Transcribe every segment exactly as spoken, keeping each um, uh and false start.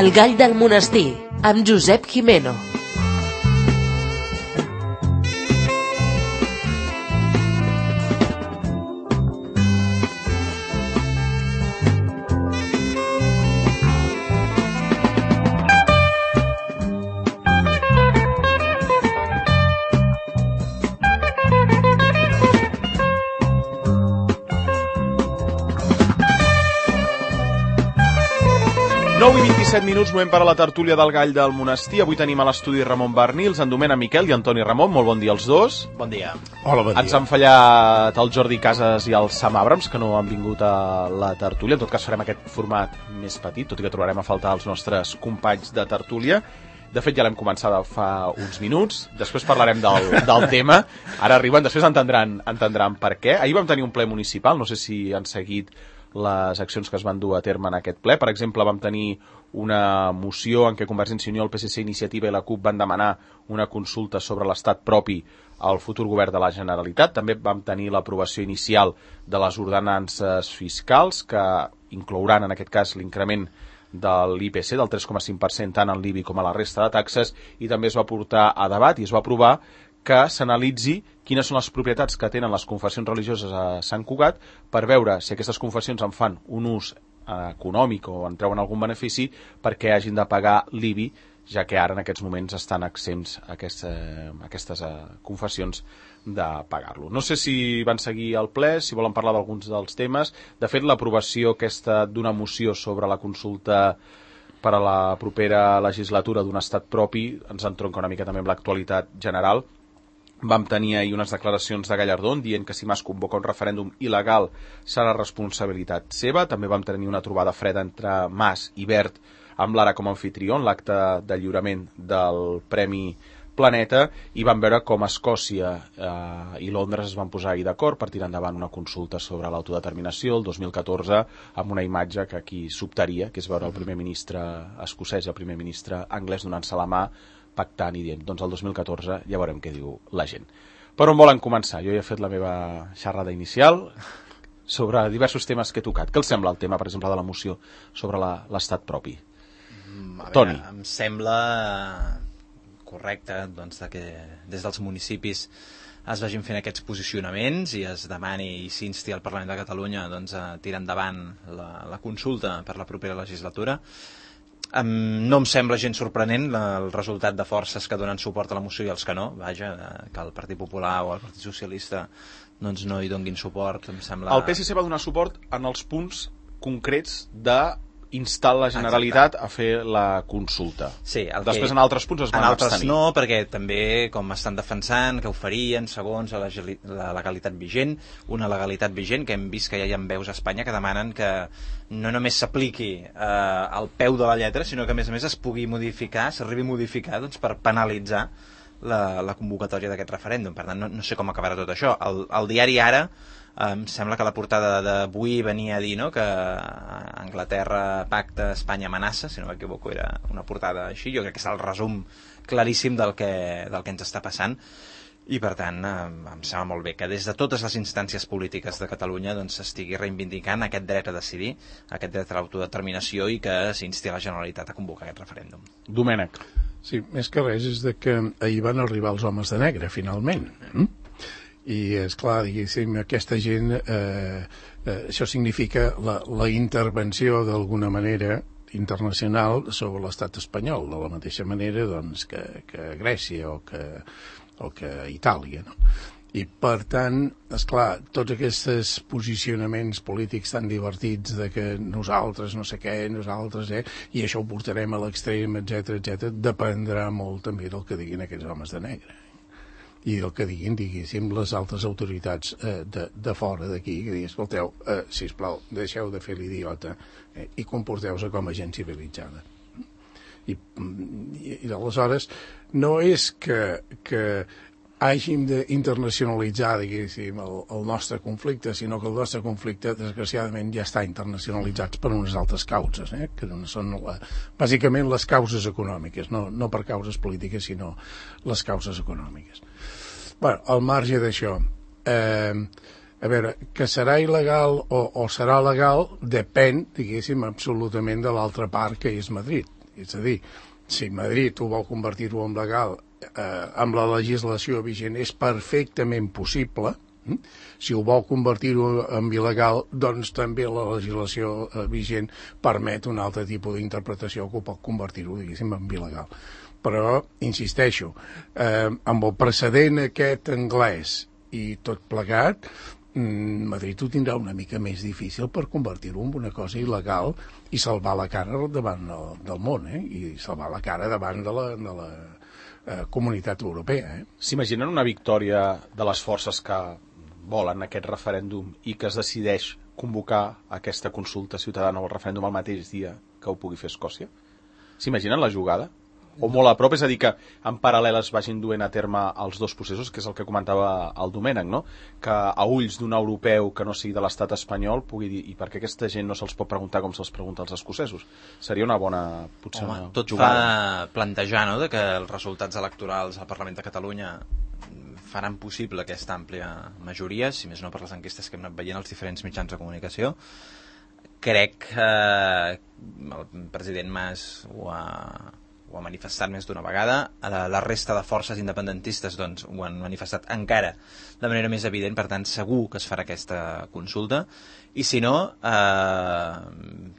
El gall del monestir, amb Josep Gimeno. nou i vint-i-set minuts, moment per a la tertúlia del gall del monestir. Avui tenim a l'estudi Ramon Bernils, en Domènec Miquel i Antoni Ramon. Molt bon dia als dos. Bon dia. Hola, bon dia. Ens han fallat el Jordi Casas i el Sam Abrams, que no han vingut a la tertúlia. En tot cas farem aquest format més petit, tot i que trobarem a faltar els nostres companys de tertúlia. De fet, ja l'hem començat fa uns minuts. Després parlarem del, del tema. Ara arriben, després entendran, entendran per què. Ahir vam tenir un ple municipal, no sé si han seguit les accions que es van dur a terme en aquest ple. Per exemple, vam tenir una moció en què Convergència i Unió, el P S C, Iniciativa i la CUP van demanar una consulta sobre l'estat propi al futur govern de la Generalitat. També vam tenir l'aprovació inicial de les ordenances fiscals, que inclouran en aquest cas l'increment de l'I P C del tres coma cinc per cent tant en l'I B I com a la resta de taxes, i també es va portar a debat i es va aprovar que s'analitzi quines són les propietats que tenen les confessions religioses a Sant Cugat per veure si aquestes confessions en fan un ús econòmic o en treuen algun benefici perquè hagin de pagar l'I B I, ja que ara en aquests moments estan exempts aquesta, aquestes confessions de pagar-lo. No sé si van seguir el ple, si volen parlar d'alguns dels temes. De fet, l'aprovació aquesta d'una moció sobre la consulta per a la propera legislatura d'un estat propi ens entronca una mica també amb l'actualitat general. Vam tenir ahir unes declaracions de Gallardón dient que si Mas convoca un referèndum il·legal serà responsabilitat seva. També vam tenir una trobada freda entre Mas i Wert amb l'Ara com a anfitrió en l'acte de lliurament del Premi Planeta, i vam veure com Escòcia eh, i Londres es van posar ahir d'acord per tirar endavant una consulta sobre l'autodeterminació el dos mil catorze, amb una imatge que aquí sobtaria, que és veure el primer ministre escocès i el primer ministre anglès donant-se la mà, pactant i dient, doncs el dos mil catorze ja veurem què diu la gent. Per on volen començar? Jo ja he fet la meva xerrada inicial sobre diversos temes que he tocat. Què els sembla el tema, per exemple, de la moció sobre l'estat propi? A Toni. veure, em sembla correcte doncs, que des dels municipis es vagin fent aquests posicionaments i es demani i s'insti al Parlament de Catalunya doncs, a tirar endavant la, la consulta per la propera legislatura. Um, no em sembla gens sorprenent la, el resultat de forces que donen suport a la moció i els que no. Vaja, que el Partit Popular o el Partit Socialista doncs, no hi donguin suport, em sembla... El P S C va donar suport en els punts concrets de instar la Generalitat Exacte. a fer la consulta. Sí, el Després que... en altres punts es van en altres abstenir. no, perquè també com estan defensant que ho farien segons la, la legalitat vigent, una legalitat vigent que hem vist que ja hi ha veus a Espanya que demanen que no només s'apliqui eh, al peu de la lletra, sinó que a més a més es pugui modificar, s'arribi a modificar doncs, per penalitzar la, la convocatòria d'aquest referèndum. Per tant, no, no sé com acabarà tot això. El, el diari Ara em sembla que la portada d'avui venia a dir, no?, que Anglaterra pacta, Espanya amenaça, si no m'equivoco era una portada així. Jo crec que és el resum claríssim del que, del que ens està passant, i per tant em sembla molt bé que des de totes les instàncies polítiques de Catalunya doncs s'estigui reivindicant aquest dret a decidir, aquest dret a l'autodeterminació, i que s'insti la Generalitat a convocar aquest referèndum. Domènec. Sí, més que res és de que ahir van arribar els homes de negre, finalment. Mm? I, és clar, diguéssim, aquesta gent, eh, eh, això significa la, la intervenció d'alguna manera internacional sobre l'estat espanyol, de la mateixa manera doncs, que, que Grècia o que, o que Itàlia, no? I per tant, esclar, tots aquests posicionaments polítics tan divertits de que nosaltres no sé què, nosaltres, eh, i això ho portarem a l'extrem, etcètera, etcètera, dependrà molt també del que diguin aquests homes de negre i del que diguin, diguéssim, les altres autoritats eh, de, de fora d'aquí, que diguin, escolteu, eh, sisplau, deixeu de fer l'idiota eh, i comporteu-se com a gent civilitzada. I, i, i aleshores no és que, que hàgim d'internacionalitzar, diguéssim, el, el nostre conflicte, sinó que el nostre conflicte, desgraciadament, ja està internacionalitzat per unes altres causes, eh? que són la, bàsicament les causes econòmiques, no, no per causes polítiques, sinó les causes econòmiques. Bueno, al marge d'això, eh, a veure, que serà il·legal o, o serà legal depèn, diguéssim, absolutament de l'altra part, que és Madrid. És a dir, si Madrid ho vol convertir-ho en legal, eh, amb la legislació vigent és perfectament possible. Si ho vol convertir-ho en il·legal, doncs també la legislació eh, vigent permet un altre tipus d'interpretació que ho pot convertir-ho, diguéssim, en il·legal. Però, insisteixo, eh, amb el precedent aquest anglès i tot plegat, mm, Madrid ho tindrà una mica més difícil per convertir-ho en una cosa il·legal i salvar la cara davant del, del món, eh? I salvar la cara davant de la, de la eh, comunitat europea. Eh? S'imaginen una victòria de les forces que volen aquest referèndum i que es decideix convocar aquesta consulta ciutadana o el referèndum el mateix dia que ho pugui fer Escòcia? S'imaginen la jugada? O molt a prop, és a dir, que en paral·lel es vagin duent a terme els dos processos, que és el que comentava el Domènec, no? Que a ulls d'un europeu que no sigui de l'estat espanyol pugui dir, i per què aquesta gent no se'ls pot preguntar com se'ls pregunta als escocesos? Seria una bona, potser, Home, una tot jugada. fa plantejar, no?, de que els resultats electorals al Parlament de Catalunya faran possible aquesta àmplia majoria, si més no per les enquestes que hem anat veient als diferents mitjans de comunicació. Crec que el president Mas ho ha, ho ha manifestat més d'una vegada. La resta de forces independentistes doncs, ho han manifestat encara de manera més evident, per tant segur que es farà aquesta consulta. I si no, eh,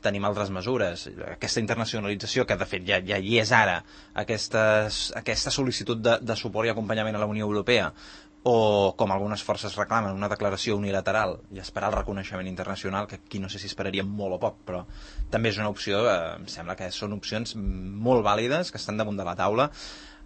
tenim altres mesures. Aquesta internacionalització, que de fet ja, ja hi és ara, aquestes, aquesta sol·licitud de, de suport i acompanyament a la Unió Europea, o, com algunes forces reclamen, una declaració unilateral i esperar el reconeixement internacional, que aquí no sé si esperaríem molt o poc, però també és una opció, eh, em sembla que són opcions molt vàlides, que estan damunt de la taula.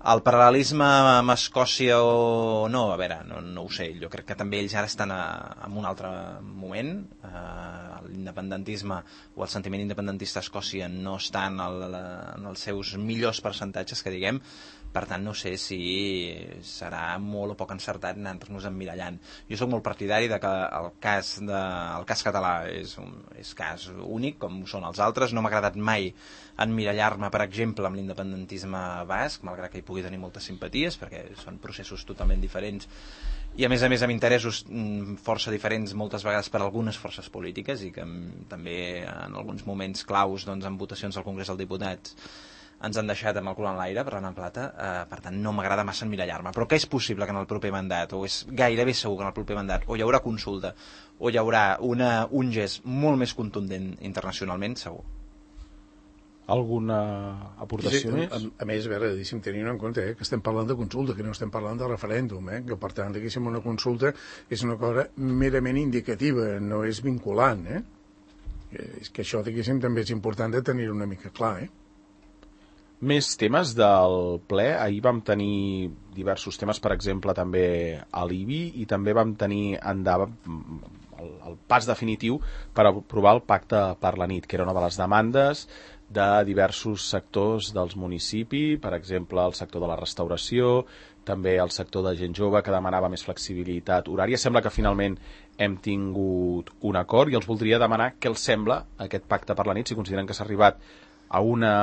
El paral·lelisme amb Escòcia o no, a veure, no, no ho sé, jo crec que també ells ara estan a, en un altre moment. Eh, l'independentisme o el sentiment independentista a Escòcia no està en, el, en els seus millors percentatges, que diguem. Per tant, no sé si serà molt o poc encertat anar-nos emmirallant. Jo sóc molt partidari de que el cas, de, el cas català és un és cas únic, com són els altres. No m'ha agradat mai emmirallar-me, per exemple, amb l'independentisme basc, malgrat que hi pugui tenir moltes simpaties, perquè són processos totalment diferents i, a més a més, amb interessos força diferents moltes vegades per algunes forces polítiques i que també en alguns moments claus, doncs, en votacions al Congrés dels Diputats ens han deixat amb el cul en l'aire, parlant en plata, eh, per tant no m'agrada massa emmirallar-me, però que és possible que en el proper mandat, o és gairebé segur que en el proper mandat, o hi haurà consulta, o hi haurà una, un gest molt més contundent internacionalment, segur. Alguna aportació sí, més? A, a més, a veure, deixem tenint en compte eh, que estem parlant de consulta, que no estem parlant de referèndum, eh, que per tant, diguéssim, una consulta és una cosa merament indicativa, no és vinculant, eh? És que això, diguéssim, també és important de tenir una mica clar, eh? Més temes del ple. Ahir vam tenir diversos temes, per exemple, també a l'I B I, i també vam tenir endavant el, el pas definitiu per aprovar el pacte per la nit, que era una de les demandes de diversos sectors dels municipis, per exemple, el sector de la restauració, també el sector de gent jove, que demanava més flexibilitat horària. Sembla que finalment hem tingut un acord, i els voldria demanar què els sembla aquest pacte per la nit, si consideren que s'ha arribat a una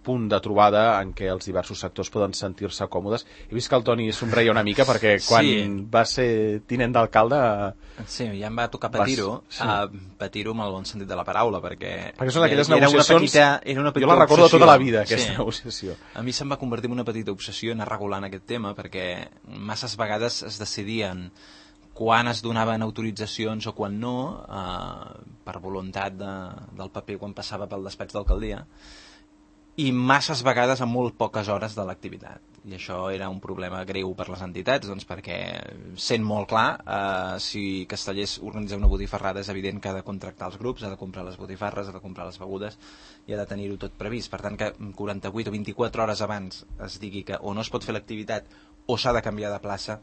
punt de trobada en què els diversos sectors poden sentir-se còmodes. He vist que el Toni somreia una mica perquè quan sí. va ser tinent d'alcalde... Sí, ja em va tocar patir-ho, sí. uh, patir-ho amb el bon sentit de la paraula, perquè... Perquè són aquelles era negociacions... Una petita, era una petita jo la recordo obsessió. Tota la vida, aquesta sí. negociació. A mi se'm va convertir en una petita obsessió anar regulant aquest tema, perquè masses vegades es decidien quan es donaven autoritzacions o quan no, uh, per voluntat de, del paper quan passava pel despatx d'alcaldia, i masses vegades en molt poques hores de l'activitat. I això era un problema greu per les entitats, doncs perquè, sent molt clar, eh, si Castellers organitza una botifarrada és evident que ha de contractar els grups, ha de comprar les botifarres, ha de comprar les begudes i ha de tenir-ho tot previst. Per tant, que quaranta-vuit o vint-i-quatre hores abans es digui que o no es pot fer l'activitat o s'ha de canviar de plaça,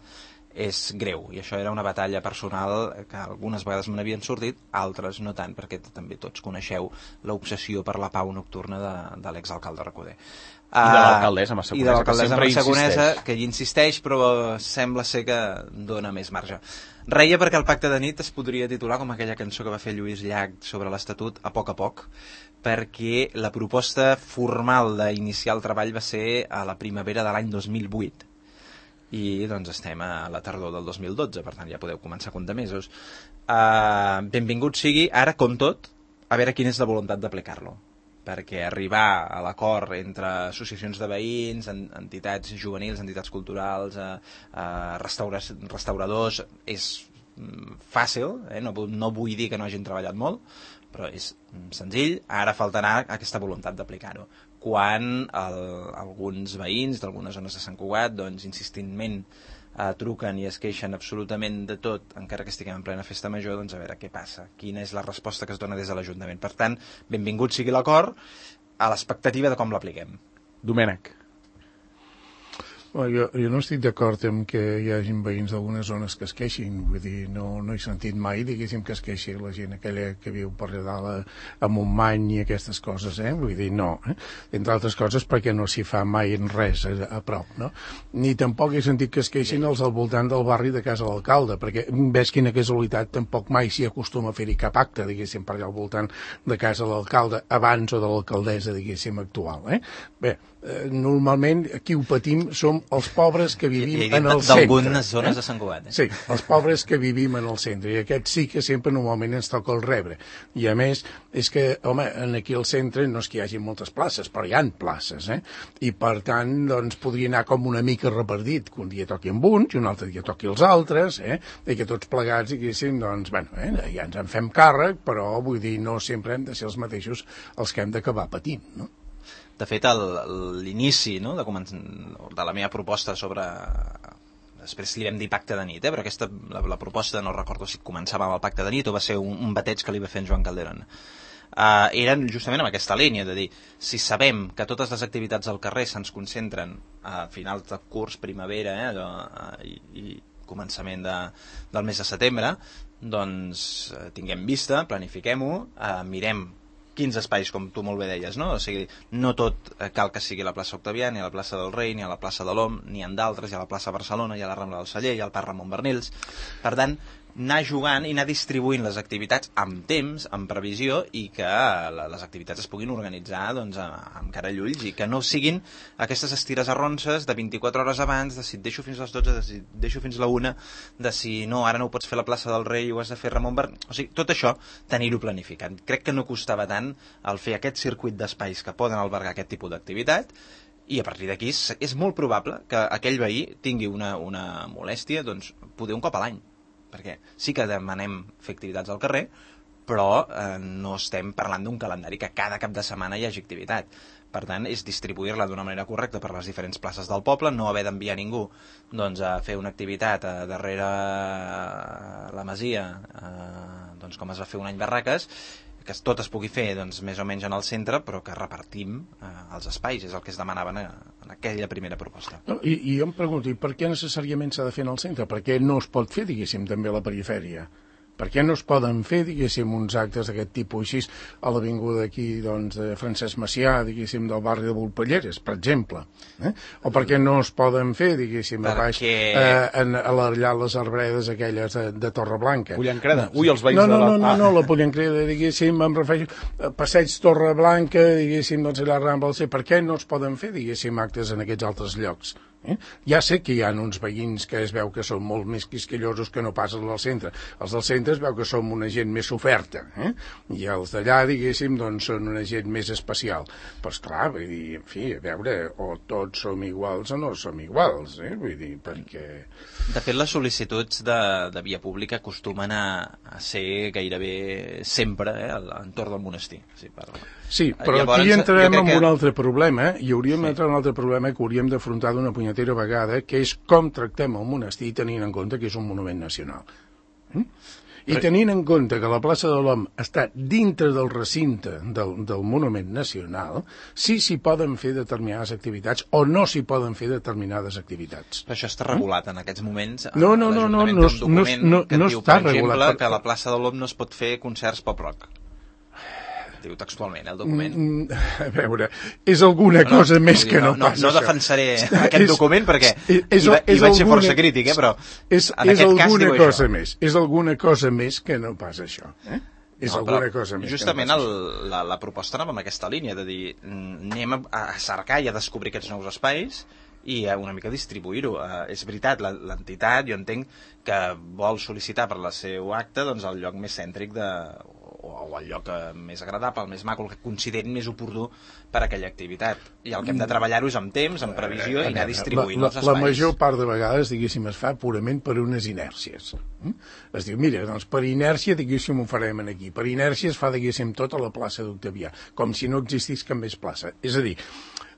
és greu, i això era una batalla personal que algunes vegades me n'havien sortit, altres no tant, perquè també tots coneixeu l'obsessió per la pau nocturna de, de l'exalcalde Recoder. I de l'alcaldessa Massaconesa, I de l'alcaldessa Massaconesa, que hi insisteix, però sembla ser que dona més marge. Reia perquè el pacte de nit es podria titular com aquella cançó que va fer Lluís Llach sobre l'Estatut, A poc a poc, perquè la proposta formal d'iniciar el treball va ser a la primavera de l'any dos mil vuit. I doncs estem a la tardor del dos mil dotze, per tant ja podeu començar a comptar mesos. Uh, benvingut sigui, ara com tot, a veure quina és la voluntat d'aplicar-lo. perquè arribar a l'acord entre associacions de veïns, entitats juvenils, entitats culturals, eh, eh, restauradors, és fàcil, eh? no, no vull dir que no hagin treballat molt, però és senzill, ara faltarà aquesta voluntat d'aplicar-ho. Quan el, alguns veïns d'algunes zones de Sant Cugat, doncs, insistentment eh, truquen i es queixen absolutament de tot, encara que estiguem en plena festa major, doncs a veure què passa, quina és la resposta que es dona des de l'Ajuntament. Per tant, benvingut sigui l'acord, a l'expectativa de com l'apliquem. Domènec. Bueno, jo, jo no estic d'acord amb que hi hagin veïns d'algunes zones que es queixin, vull dir, no, no he sentit mai, diguéssim, que es queixi la gent aquella que viu per allà dalt a Montmany i aquestes coses, eh? Vull dir, no. Eh? Entre altres coses perquè no s'hi fa mai res a, a prop, no? Ni tampoc he sentit que es queixin els al voltant del barri de casa l'alcalde, perquè ves quina casualitat, tampoc mai s'hi acostuma a fer-hi cap acte, diguéssim, per allà al voltant de casa l'alcalde, abans o de l'alcaldessa, diguéssim, actual, eh? Bé, eh, normalment qui ho patim som els pobres que vivim I, i en el centre. d'algunes zones eh? de Sant Cugat. Eh? Sí, els pobres que vivim en el centre, i aquests sí que sempre normalment ens toca el rebre. I a més, és que, home, aquí al centre no és que hi hagi moltes places, però hi ha places, eh? I per tant, doncs, podria anar com una mica repartit, que un dia toqui amb uns i un altre dia toqui els altres, eh? I que tots plegats, diguéssim, doncs, bueno, eh? ja ens en fem càrrec, però vull dir, no sempre hem de ser els mateixos els que hem d'acabar patint, no? De fet, l'inici no, de, de la meva proposta sobre... Després li vam dir pacte de nit, eh? Però aquesta, la, la proposta, no recordo si començava amb el pacte de nit o va ser un, un bateig que li va fer en Joan Calderón. Uh, eren justament amb aquesta línia, de dir, si sabem que totes les activitats al carrer se'ns concentren a finals de curs, primavera, eh, allò, uh, i, i començament de, del mes de setembre, doncs uh, tinguem vista, planifiquem-ho, uh, mirem quins espais, com tu molt bé deies, no? O sigui, no tot cal que sigui la plaça Octavià, ni a la plaça del Rei, ni a la plaça de l'Om, ni en d'altres, hi ha la plaça Barcelona, hi ha la Rambla del Celler, hi ha el Parc Ramon Bernils. Per tant, anar jugant i anar distribuint les activitats amb temps, amb previsió, i que les activitats es puguin organitzar doncs, amb cara i ulls, i que no siguin aquestes estires arronses de vint-i-quatre hores abans, de si et deixo fins a les dotze, de si et deixo fins a la una, de si no, ara no ho pots fer a la plaça del Rei, ho has de fer Ramon Bernils. O sigui, tot això, tenir-ho planificat. Crec que no costava tant el fer aquest circuit d'espais que poden albergar aquest tipus d'activitat, i a partir d'aquí és, és molt probable que aquell veí tingui una, una molèstia, doncs, poder un cop a l'any. Perquè sí que demanem fer activitats al carrer, però eh, no estem parlant d'un calendari que cada cap de setmana hi hagi activitat. Per tant, és distribuir-la d'una manera correcta per les diferents places del poble, no haver d'enviar ningú doncs, a fer una activitat a darrere la Masia, eh, doncs, com es va fer un any Barraques, que tot es pugui fer doncs, més o menys en el centre, però que repartim eh, els espais, és el que es demanaven en, en aquella primera proposta. No, i, I jo em pregunto, i per què necessàriament s'ha de fer en el centre? Per què no es pot fer, diguéssim, també a la perifèria? Per què no es poden fer, diguéssim, uns actes d'aquest tipus així a l'avinguda aquí, doncs, de Francesc Macià, diguéssim, del barri de Volpelleres, per exemple? Eh? O per què no es poden fer, diguéssim, a baix, Perquè... eh, en, a allà les arbredes aquelles de, de Torreblanca? Pollancreda. Ui, els veïns no, no, de la... No, no, no, no, la Pollancreda, diguéssim, em refereixo a Passeig Torreblanca, diguéssim, doncs, allà a Rambla, per què no es poden fer, diguéssim, actes en aquests altres llocs? Eh? Ja sé que hi ha uns veïns que es veu que són molt més quisquillosos que no pas els del centre. Els del centre es veu que som una gent més oferta, eh? I els d'allà, diguéssim, doncs són una gent més especial. Però esclar, vull dir, en fi, a veure, o tots som iguals o no som iguals, eh? Vull dir, perquè... De fet, les sol·licituds de, de via pública acostumen a, a ser gairebé sempre eh, a l'entorn del monestir. Sí, per... Sí, però Llavors, aquí entrem en que... un altre problema, eh? I hauríem Sí. d'entrar en un altre problema que hauríem d'afrontar d'una punyetera vegada, que és com tractem el monestir tenint en compte que és un monument nacional. Mm? I tenint en compte que la plaça de l'Om està dintre del recinte del, del monument nacional, sí s'hi poden fer determinades activitats o no s'hi poden fer determinades activitats. Però això està regulat en aquests moments. No, no, no, no, no, un document no, no, que no diu, està per exemple, regulat. que a la plaça de l'Om no es pot fer concerts pop-rock. Diu textualment, el document. Mm, a veure, és alguna no, cosa no, més que no, no passa no, no això. defensaré aquest és, document perquè és, és, hi, va, hi és vaig ser alguna, força crític, eh, però és, en és aquest cas alguna diu cosa això. més, és alguna cosa més que no pas això, eh? És No, alguna però cosa més justament que no el, la, la proposta anava amb aquesta línia de dir, anem a, a cercar i a descobrir aquests nous espais i a una mica distribuir-ho. Uh, és veritat, l'entitat, jo entenc que vol sol·licitar per la seu acte doncs, el lloc més cèntric de, o el lloc més agradable, el més maco, el que considerin més oportú per a aquella activitat. I el que hem de treballar-ho és amb temps, amb previsió i anar distribuint la, la, els espais. La major part de vegades, diguéssim, es fa purament per unes inèrcies. Es diu, mira, doncs per inèrcia, diguéssim, ho farem aquí. Per inèrcia es fa, diguéssim, tot a la plaça d'Octavià, com si no existís cap més plaça. És a dir,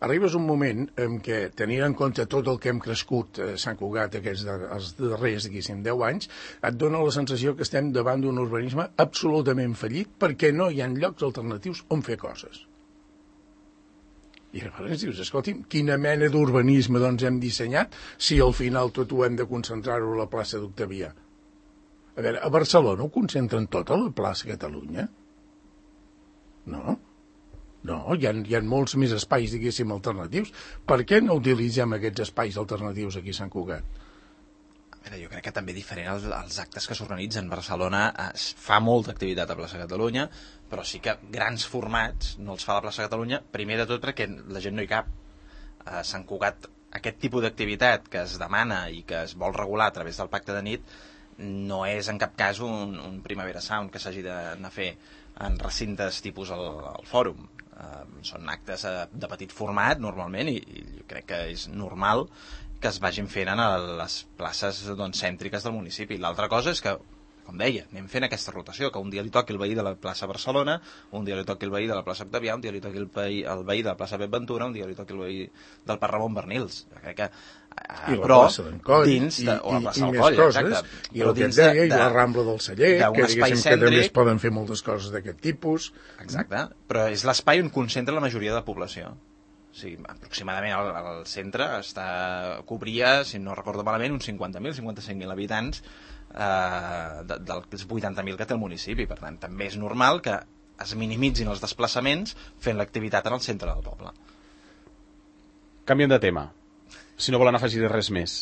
arribes un moment en què, tenint en compte tot el que hem crescut a Sant Cugat aquests de, els darrers, diguéssim, deu anys, et dona la sensació que estem davant d'un urbanisme absolutament fallit perquè no hi ha llocs alternatius on fer coses. I llavors dius, escolti'm, quina mena d'urbanisme doncs hem dissenyat si al final tot ho hem de concentrar-ho a la plaça d'Octavià? A veure, a Barcelona ho concentren tot a la plaça Catalunya? No? No, hi ha, hi ha molts més espais, diguéssim, alternatius. Per què no utilitzem aquests espais alternatius aquí a Sant Cugat? A veure, jo crec que també diferent els, els actes que s'organitzen. Barcelona es fa molta activitat a Plaça Catalunya, però sí que grans formats no els fa a la Plaça Catalunya, primer de tot perquè la gent no hi cap. A Sant Cugat, aquest tipus d'activitat que es demana i que es vol regular a través del pacte de nit no és en cap cas un, un Primavera Sound que s'hagi d'anar a fer en recintes tipus el, el fòrum. Uh, són actes uh, de petit format normalment i, i jo crec que és normal que es vagin fent a les places doncs, cèntriques del municipi. L'altra cosa és que, com deia, anem fent aquesta rotació, que un dia li toqui el veí de la plaça Barcelona, un dia li toqui el veí de la plaça Octavià, un dia li toqui el veí, el veí de la plaça Pep Ventura, un dia li toqui el veí del Parc Ramon Bernils. Jo crec que I la però plaça d'en Coll, dins de, i, o la plaça i, i del més Coll, coses, exacte. i el que et deia, i la Rambla del Celler, que diguéssim que també es poden fer moltes coses d'aquest tipus. Exacte, però és l'espai on concentra la majoria de la població. O sigui, aproximadament al, al centre està, cobria, si no recordo malament, uns cinquanta mil, cinquanta-cinc mil habitants eh, de, dels vuitanta mil que té el municipi. Per tant, també és normal que es minimitzin els desplaçaments fent l'activitat en el centre del poble. Canviem de tema. Si no volen afegir res més.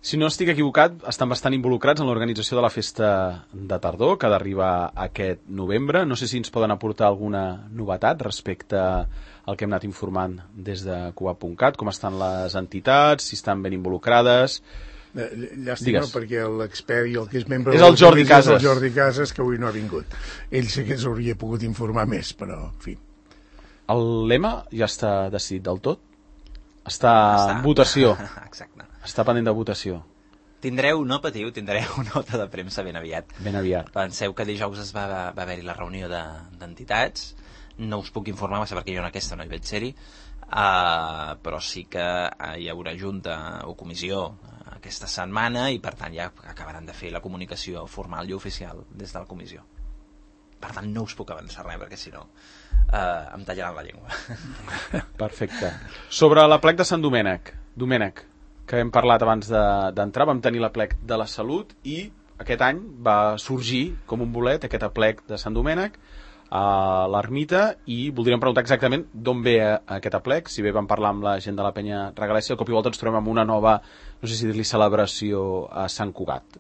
Si no estic equivocat, estan bastant involucrats en l'organització de la festa de tardor, que ha d'arribar aquest novembre. No sé si ens poden aportar alguna novetat respecte al que hem anat informant des de Cugat punt cat, com estan les entitats, si estan ben involucrades. Llàstima, perquè l'expert i el que és membre és el Jordi Casas. És el Jordi Casas, que avui no ha vingut. Ell sí que s'hauria pogut informar més, però, en fi. El lema ja està decidit del tot? Està, està en votació. Exacte. Està pendent de votació. Tindreu, no patiu, tindreu nota de premsa ben aviat. Ben aviat. Penseu que dijous es va, va haver-hi la reunió d'entitats. De, no us puc informar, va ser perquè jo en aquesta no hi vaig ser-hi, uh, però sí que uh, hi haurà junta o comissió uh, aquesta setmana i per tant ja acabaran de fer la comunicació formal i oficial des de la comissió. Per tant no us puc avançar res perquè si no uh, em tallaran la llengua. Perfecte. Sobre la plec de Sant Domènec, Domènec, que hem parlat abans d'entrar, de, vam tenir la plec de la Salut i aquest any va sorgir com un bolet aquest aplec de Sant Domènec a l'Ermita i voldríem preguntar exactament d'on ve aquest aplec. Si bé vam parlar amb la gent de la Penya Regalèssia, al cop i volta ens trobem amb una nova, no sé si dir-li celebració a Sant Cugat.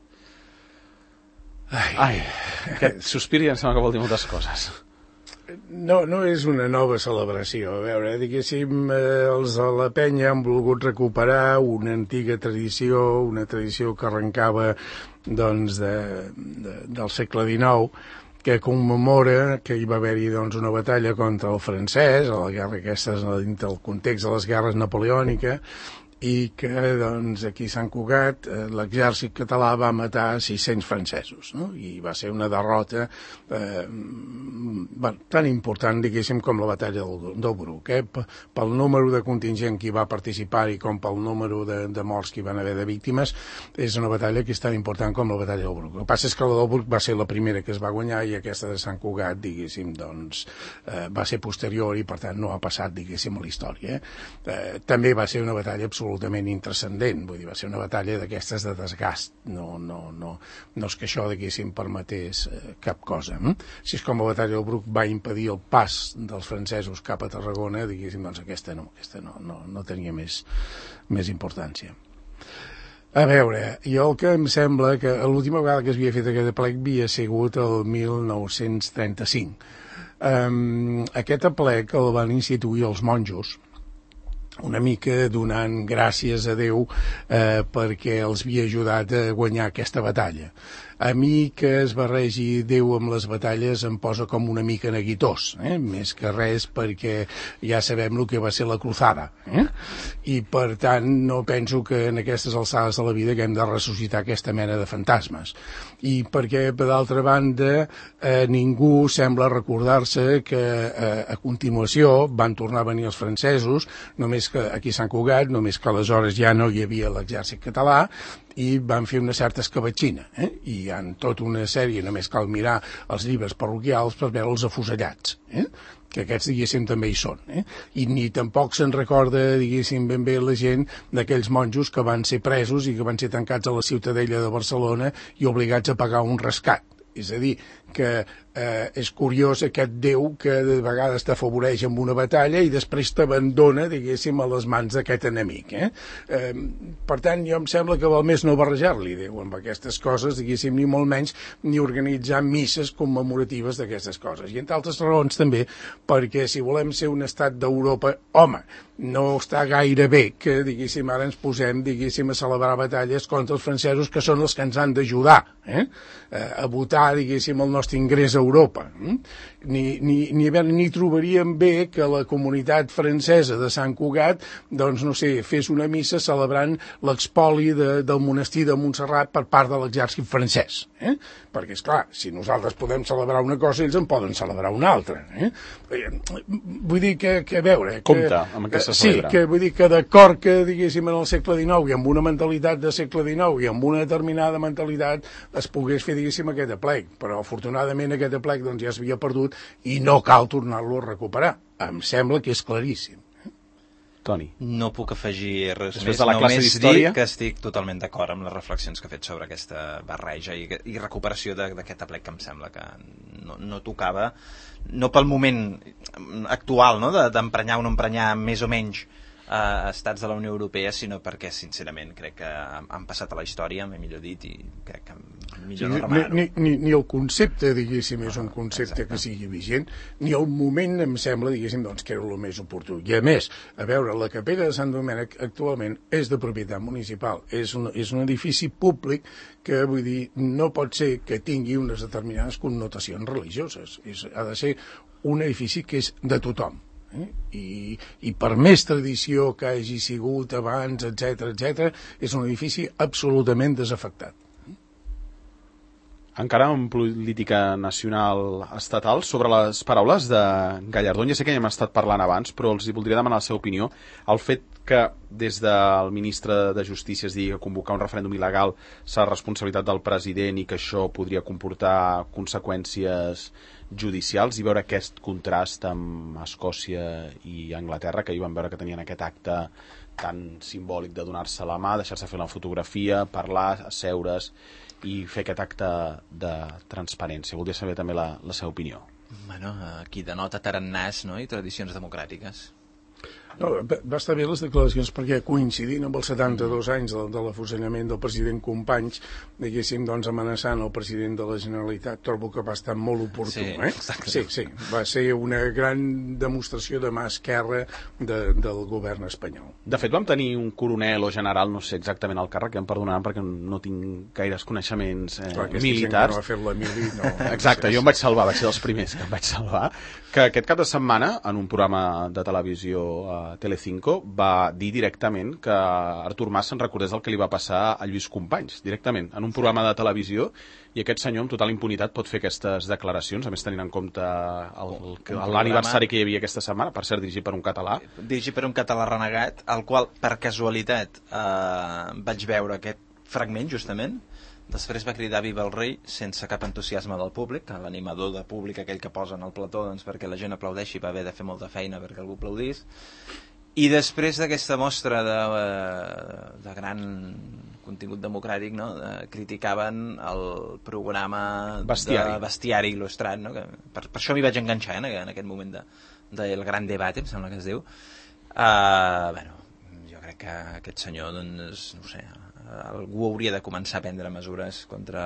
Ai, Ai, aquest sospir ja em sembla que vol dir moltes coses. No, no és una nova celebració. A veure, diguéssim, eh, els de la Penya han volgut recuperar una antiga tradició, una tradició que arrencava doncs, de, de, del segle dinou, que commemora que hi va haver-hi doncs, una batalla contra el francès, a la guerra aquesta dintre del context de les guerres napoleòniques, i que doncs, aquí a Sant Cugat eh, l'exèrcit català va matar sis-cents francesos, no? I va ser una derrota eh, bueno, tan important, diguéssim, com la batalla del, del Bruc, eh? Pel número de contingent que hi va participar i com pel número de, de morts que hi van haver de víctimes, és una batalla que és tan important com la batalla del Bruc. El que passa és que la del Bruc va ser la primera que es va guanyar i aquesta de Sant Cugat, diguéssim, doncs, eh, va ser posterior i per tant no ha passat, diguéssim, a la història. Eh? Eh, també va ser una batalla absolutament absolutament intrascendent, vull dir, va ser una batalla d'aquestes de desgast, no, no, no, no és que això, diguéssim, permetés eh, cap cosa. Eh? Si és com la batalla del Bruc va impedir el pas dels francesos cap a Tarragona, diguéssim, doncs aquesta no, aquesta no, no, no tenia més, més importància. A veure, jo el que em sembla que l'última vegada que es havia fet aquest aplec havia sigut el mil nou-cents trenta-cinc. Um, aquest aplec el van instituir els monjos, una mica donant gràcies a Déu eh, perquè els havia ajudat a guanyar aquesta batalla. a mi que es barregi Déu amb les batalles em posa com una mica neguitós, eh? Més que res perquè ja sabem el que va ser la cruzada, eh? I per tant no penso que en aquestes alçades de la vida que hem de ressuscitar aquesta mena de fantasmes. I perquè, per d'altra banda, eh, ningú sembla recordar-se que eh, a continuació van tornar a venir els francesos, només que aquí a Sant Cugat, només que aleshores ja no hi havia l'exèrcit català, i van fer una certa escabatxina, eh? I hi ha tota una sèrie, només cal mirar els llibres parroquials per veure els afusellats, eh? Que aquests, diguéssim, també hi són, eh? I ni tampoc se'n recorda, diguéssim, ben bé la gent d'aquells monjos que van ser presos i que van ser tancats a la Ciutadella de Barcelona i obligats a pagar un rescat. És a dir, que eh, és curiós aquest Déu que de vegades t'afavoreix amb una batalla i després t'abandona, diguéssim, a les mans d'aquest enemic. Eh? Eh, per tant, jo em sembla que val més no barrejar-li Déu amb aquestes coses, diguéssim, ni molt menys ni organitzar misses commemoratives d'aquestes coses. I entre altres raons també, perquè si volem ser un estat d'Europa, home, no està gaire bé que, diguéssim, ara ens posem, diguéssim, a celebrar batalles contra els francesos que són els que ens han d'ajudar, eh? a votar, diguéssim, el nostre ingrés a Europa. Ni, ni, ni, ni trobaríem bé que la comunitat francesa de Sant Cugat, doncs, no sé, fes una missa celebrant l'expoli de, del monestir de Montserrat per part de l'exèrcit francès. Eh? Perquè, esclar, si nosaltres podem celebrar una cosa, ells en poden celebrar una altra. Eh? Vull dir que, que a veure... Que, compte amb què se celebra. Sí, que vull dir que d'acord que, diguéssim, en el segle dinou i amb una mentalitat de segle dinou i amb una determinada mentalitat es pogués fer, diguéssim, aquest aplec, però afortunadament aquest aplec doncs, ja s'havia perdut i no cal tornar-lo a recuperar. Em sembla que és claríssim. Toni. No puc afegir res Després més, de la classe només d'història, dir que estic totalment d'acord amb les reflexions que ha fet sobre aquesta barreja i, i recuperació d'aquest aplec que em sembla que no, no tocava, no pel moment actual, no? d'emprenyar o no emprenyar més o menys a estats de la Unió Europea, sinó perquè, sincerament, crec que han passat a la història, m'he millor dit, i crec que millor no remenar-ho. Ni, ni, ni el concepte, diguéssim, és un concepte que sigui vigent, ni el moment em sembla, diguéssim, doncs, que era el més oportú. I a més, a veure, la capella de Sant Domènec actualment és de propietat municipal, és un, és un edifici públic que, vull dir, no pot ser que tingui unes determinades connotacions religioses. És, ha de ser un edifici que és de tothom. Eh? I, i per més tradició que hagi sigut abans, etc etc, és un edifici absolutament desafectat. Encara en política nacional estatal, sobre les paraules de Gallardón, ja sé que ja hem estat parlant abans, però els voldria demanar la seva opinió. El fet que des del ministre de Justícia es digui que convocar un referèndum il·legal serà responsabilitat del president i que això podria comportar conseqüències judicials, i veure aquest contrast amb Escòcia i Anglaterra, que hi van veure que tenien aquest acte tan simbòlic de donar-se la mà, deixar-se fer la fotografia, parlar, asseure's i fer aquest acte de transparència. Voldria saber també la, la seva opinió. Bueno, aquí denota tarannàs, no?, i tradicions democràtiques. No, va estar bé les declaracions perquè coincidint amb els setanta-dos anys de, de l'afusellament del president Companys, diguéssim, doncs, amenaçant el president de la Generalitat, trobo que va estar molt oportú. Sí, eh? sí, sí, va ser una gran demostració de mà esquerra de, del govern espanyol. De fet, vam tenir un coronel o general, no sé exactament el càrrec, que em perdonaran perquè no tinc gaires coneixements eh, Clar, militars. No ha fet la mili, no. Exacte, jo em vaig salvar, vaig ser dels primers que em vaig salvar, que aquest cap de setmana, en un programa de televisió a Telecinco, va dir directament que Artur Mas se'n recordés el que li va passar a Lluís Companys, directament, en un programa de televisió, i aquest senyor amb total impunitat pot fer aquestes declaracions, a més tenint en compte l'aniversari que hi havia aquesta setmana, per cert, dirigit per un català. Dirigit per un català renegat, al qual, per casualitat, eh, vaig veure aquest fragment, justament. Després va cridar Viva el rei sense cap entusiasme del públic, l'animador de públic aquell que posa en el plató, doncs, perquè la gent aplaudeixi, va haver de fer molta feina perquè algú aplaudís. I després d'aquesta mostra de, de gran contingut democràtic, no?, de, criticaven el programa Bestiari, de Bestiari il·lustrat, no?, que per, per això m'hi vaig enganxar, eh, en aquest moment de, de el gran debat, em sembla que es diu. Uh, bueno, jo crec que aquest senyor, doncs, no sé, algú hauria de començar a prendre mesures contra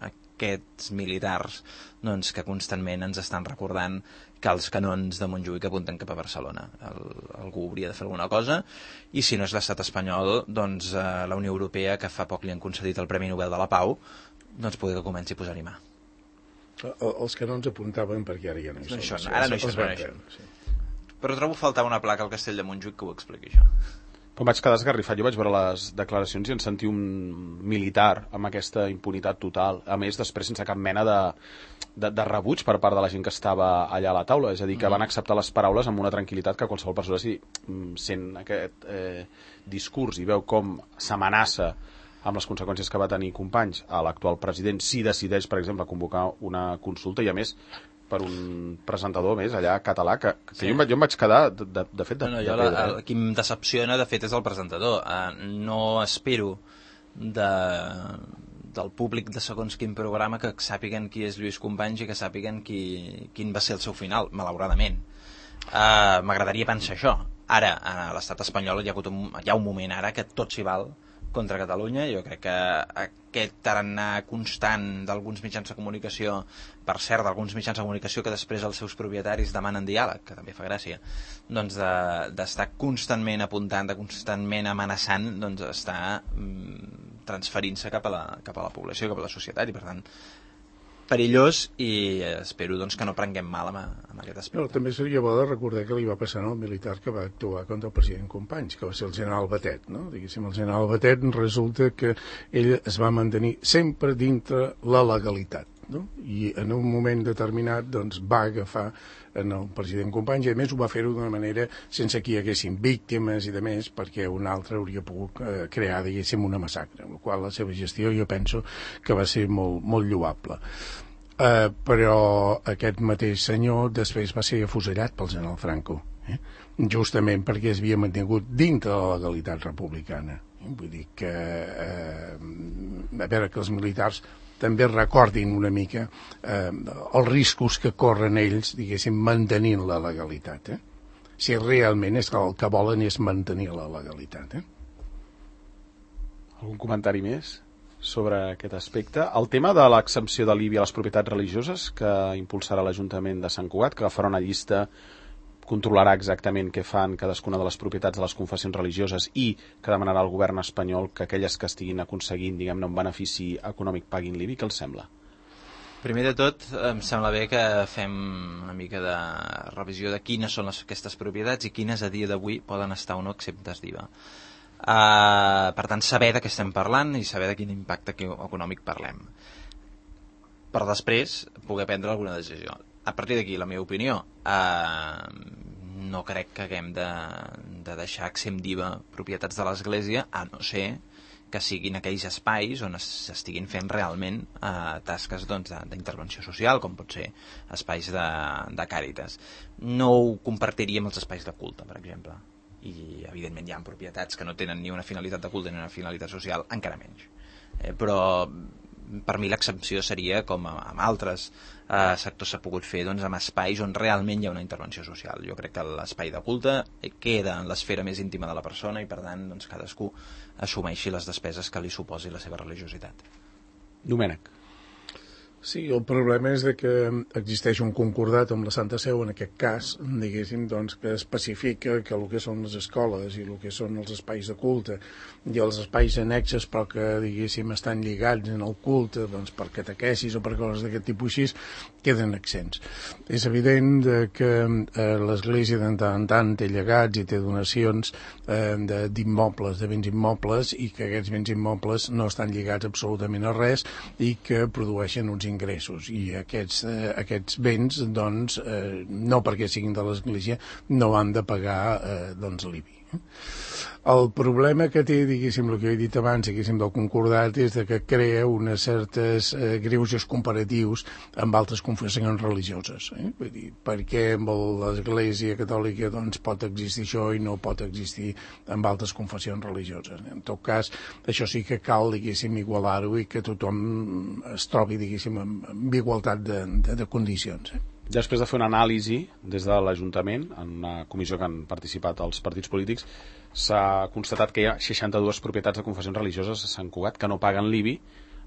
aquests militars, doncs, que constantment ens estan recordant que els canons de Montjuïc apunten cap a Barcelona. El, algú hauria de fer alguna cosa, i si no és l'estat espanyol, doncs eh, la Unió Europea, que fa poc li han concedit el Premi Nobel de la Pau, doncs poder que comenci a posar-hi mà. Els que no ens apuntaven, perquè ara ja no hi són. Això, ara no hi Els són, vam això. perdre, sí. Però trobo faltar una placa al Castell de Montjuïc que ho expliqui, això. Però vaig quedar esgarrifat, jo vaig veure les declaracions i en sentir un militar amb aquesta impunitat total, a més després sense cap mena de, de, de rebuig per part de la gent que estava allà a la taula, és a dir, que van acceptar les paraules amb una tranquil·litat que qualsevol persona si sent aquest eh, discurs i veu com s'amenaça amb les conseqüències que va tenir Companys a l'actual president si decideix, per exemple, convocar una consulta i a més per un presentador més allà català que, que sí. jo, em vaig, jo em vaig quedar de, de, de fet de, no, no, de jo pedra. La, el que em decepciona de fet és el presentador. Uh, no espero de, del públic de segons quin programa que sàpiguen qui és Lluís Companys i que sàpiguen qui, quin va ser el seu final, malauradament. Uh, M'agradaria pensar això. Ara, a l'estat espanyol hi ha, hagut un, hi ha un moment ara que tot s'hi val contra Catalunya. Jo crec que aquest tarannà constant d'alguns mitjans de comunicació, per cert, d'alguns mitjans de comunicació que després els seus propietaris demanen diàleg, que també fa gràcia, doncs d'estar de, constantment apuntant, de constantment amenaçant, doncs està mm, transferint-se cap, a la, cap a la població, cap a la societat, i per tant perillós, i espero doncs, que no prenguem mal amb, amb aquest aspecte. No, també seria bo de recordar que li va passar al militar que va actuar contra el president Companys, que va ser el general Batet, no? Diguéssim, el general Batet resulta que ell es va mantenir sempre dintre la legalitat, no? I en un moment determinat doncs, va agafar en el president Companys, i a més ho va fer-ho d'una manera sense que hi haguessin víctimes i de més, perquè un altre hauria pogut eh, crear, diguéssim, una massacre, amb la qual la seva gestió jo penso que va ser molt, molt lloable. Eh, però aquest mateix senyor després va ser afusellat pel general Franco, eh? justament perquè es havia mantingut dintre de la legalitat republicana. Vull dir que eh, a veure que els militars també recordin una mica eh, els riscos que corren ells, diguéssim, mantenint la legalitat. Eh? Si realment és que el que volen és mantenir la legalitat. Eh? Algun comentari més sobre aquest aspecte? El tema de l'exempció de l'I B I a les propietats religioses que impulsarà l'Ajuntament de Sant Cugat, que farà una llista, controlarà exactament què fan cadascuna de les propietats de les confessions religioses i que demanarà al govern espanyol que aquelles que estiguin aconseguint, diguem-ne, un benefici econòmic paguin l'I B I. Què els sembla? Primer de tot, em sembla bé que fem una mica de revisió de quines són les, aquestes propietats i quines a dia d'avui poden estar o no exemptes d'I V A. Uh, per tant, saber de què estem parlant i saber de quin impacte econòmic parlem. Per després poder prendre alguna decisió. A partir d'aquí, la meva opinió, eh, no crec que haguem de, de deixar exempt d'I V A propietats de l'Església, a no ser que siguin aquells espais on s'estiguin fent realment eh, tasques doncs, d'intervenció social, com pot ser espais de, de càritas. No ho compartiria amb els espais de culte, per exemple. I, evidentment, hi ha propietats que no tenen ni una finalitat de culte ni una finalitat social, encara menys. Eh, però per mi l'exempció seria com amb altres eh, sectors s'ha pogut fer doncs, amb espais on realment hi ha una intervenció social. Jo crec que l'espai de culte queda en l'esfera més íntima de la persona i per tant doncs, cadascú assumeixi les despeses que li suposi la seva religiositat. Domènec. Sí, el problema és de que existeix un concordat amb la Santa Seu, en aquest cas, diguéssim, doncs, que especifica que el que són les escoles i el que són els espais de culte i els espais annexes, però que, diguéssim, estan lligats en el culte, doncs, per catequesis o per coses d'aquest tipus així, queden exempts. És evident de que eh, l'Església de tant en tant té llegats i té donacions eh, d'immobles, de béns immobles, i que aquests béns immobles no estan lligats absolutament a res i que produeixen uns ingressos, i aquests, eh, aquests béns doncs, eh, no perquè siguin de l'Església no han de pagar eh, doncs, l'I B I. El problema que té, diguéssim, el que he dit abans, diguéssim, del concordat, és de que crea unes certes eh, greuges comparatius amb altres confessions religioses. Eh? Vull dir, perquè amb l'Església Catòlica doncs, pot existir això i no pot existir amb altres confessions religioses. En tot cas, això sí que cal, diguéssim, igualar-ho i que tothom es trobi, diguéssim, amb igualtat de, de, de condicions. Eh? Després de fer una anàlisi des de l'Ajuntament, en una comissió que han participat els partits polítics, s'ha constatat que hi ha seixanta-dues propietats de confessions religioses a Sant Cugat que no paguen l'I B I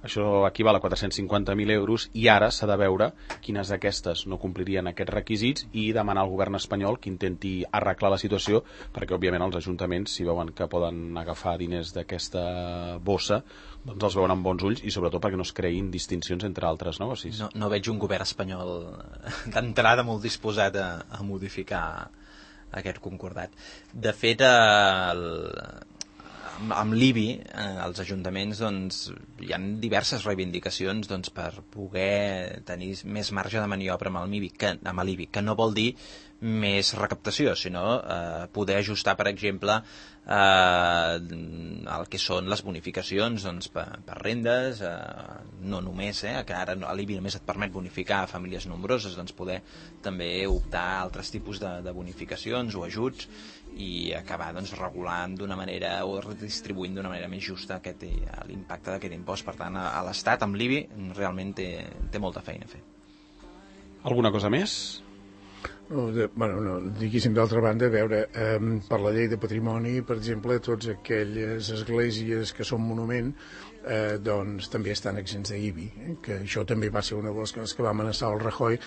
Això equival a quatre-cents cinquanta mil euros i ara s'ha de veure quines d'aquestes no complirien aquests requisits i demanar al govern espanyol que intenti arreglar la situació, perquè òbviament els ajuntaments, si veuen que poden agafar diners d'aquesta bossa, doncs els veuen amb bons ulls i sobretot perquè no es creïn distincions entre altres negocis. No, no veig un govern espanyol d'entrada molt disposat a, a modificar aquest concordat. De fet, el... amb, amb l'I B I, eh, els ajuntaments, doncs, hi ha diverses reivindicacions, doncs, per poder tenir més marge de maniobra amb l'I B I, que, amb l'I B I, que no vol dir més recaptació, sinó eh, poder ajustar, per exemple, eh, el que són les bonificacions, doncs, per, per rendes, eh, no només, eh, que ara l'I B I només et permet bonificar a famílies nombroses, doncs poder també optar a altres tipus de, de bonificacions o ajuts i acabar, doncs, regulant d'una manera o redistribuint d'una manera més justa aquest, l'impacte d'aquest impost. Per tant, a, a l'Estat, amb l'I B I, realment té, té molta feina a fer. Alguna cosa més? No, de, bueno, no, diguéssim, d'altra banda, a veure, eh, per la llei de patrimoni, per exemple, tots aquelles esglésies que són monument, eh, doncs també estan exempts d'I B I, eh, que això també va ser una de les coses que va amenaçar el Rajoy,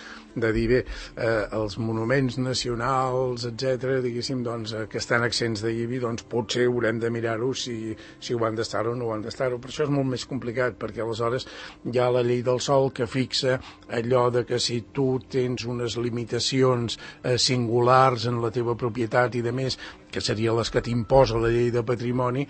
de dir, bé, eh, els monuments nacionals, etcètera, diguéssim, doncs, eh, que estan exempts d'I B I, doncs potser haurem de mirar-ho si, si ho han d'estar o no ho han d'estar-ho, però això és molt més complicat, perquè aleshores hi ha la llei del sòl que fixa allò de que si tu tens unes limitacions eh, singulars en la teva propietat i de més, que serien les que t'imposa la llei de patrimoni,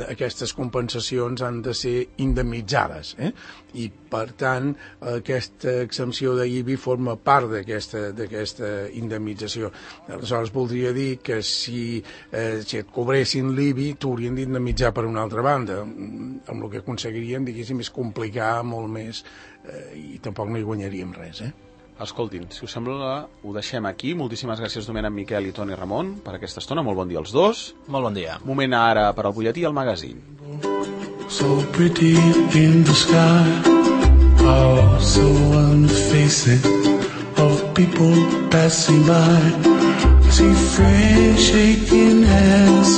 aquestes compensacions han de ser indemnitzades, eh? I per tant aquesta exempció de I B I forma part d'aquesta d'aquesta indemnització. Aleshores voldria dir que si, eh, si et cobressin l'I B I t'haurien d'indemnitzar per una altra banda, amb el que aconseguiríem, diguéssim, és complicar molt més eh, i tampoc no hi guanyaríem res, eh? Escoltin, si us sembla, ho deixem aquí. Moltíssimes gràcies, Domènec, Miquel i Toni Ramon, per aquesta estona. Molt bon dia als dos. Molt bon dia. Moment ara per al butlletí i el magazín. So pretty in the sky, oh, so on the faces of people passing by. See friends shaking hands